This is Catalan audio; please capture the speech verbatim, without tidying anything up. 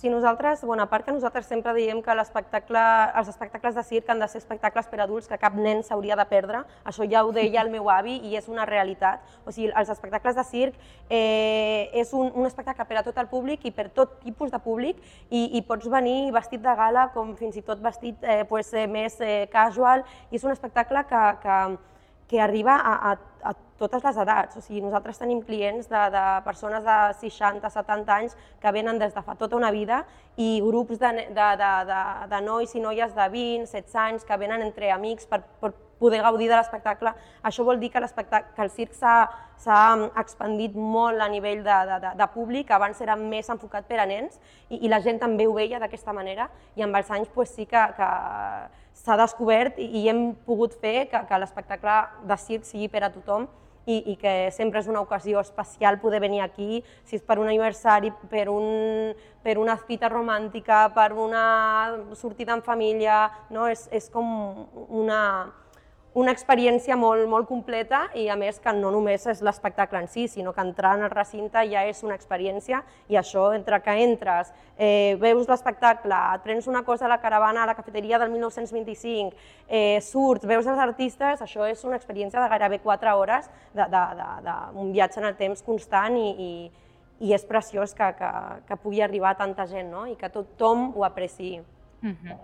sigui, nosaltres, bueno, a part que nosaltres sempre diem que l'espectacle, els espectacles de circ han de ser espectacles per adults que cap nen s'hauria de perdre, això ja ho deia el meu avi i és una realitat. O sigui, els espectacles de circ eh, és un, un espectacle per a tot el públic i per tot tipus de públic i, i pots venir vestit de gala com fins i tot vestit eh, pues, eh, més eh, casual i és un espectacle que, que, que arriba a, a, a totes les edats. O sigui, nosaltres tenim clients de, de persones de seixanta, setanta anys que venen des de fa tota una vida i grups de, de, de, de, de nois i noies de vint, setze anys que venen entre amics per, per poder gaudir de l'espectacle. Això vol dir que, que el circ s'ha expandit molt a nivell de, de, de, de públic, abans era més enfocat per a nens i, i la gent també ho veia d'aquesta manera i amb els anys pues, sí que, que s'ha descobert i, i hem pogut fer que, que l'espectacle de circ sigui per a tothom i, i que sempre és una ocasió especial poder venir aquí, si és per un aniversari, per, un, per una cita romàntica, per una sortida en família, no? és, és com una, una experiència molt, molt completa i a més que no només és l'espectacle en si, sinó que entrar en el recinte ja és una experiència i això entre que entres, eh, veus l'espectacle, et prens una cosa a la caravana a la cafeteria del mil nou-cents vint-i-cinc, eh, surts, veus els artistes, això és una experiència de gairebé quatre hores d'un viatge en el temps constant i, i, i és preciós que, que, que pugui arribar a tanta gent, no? I que tothom ho apreciï. Uh-huh.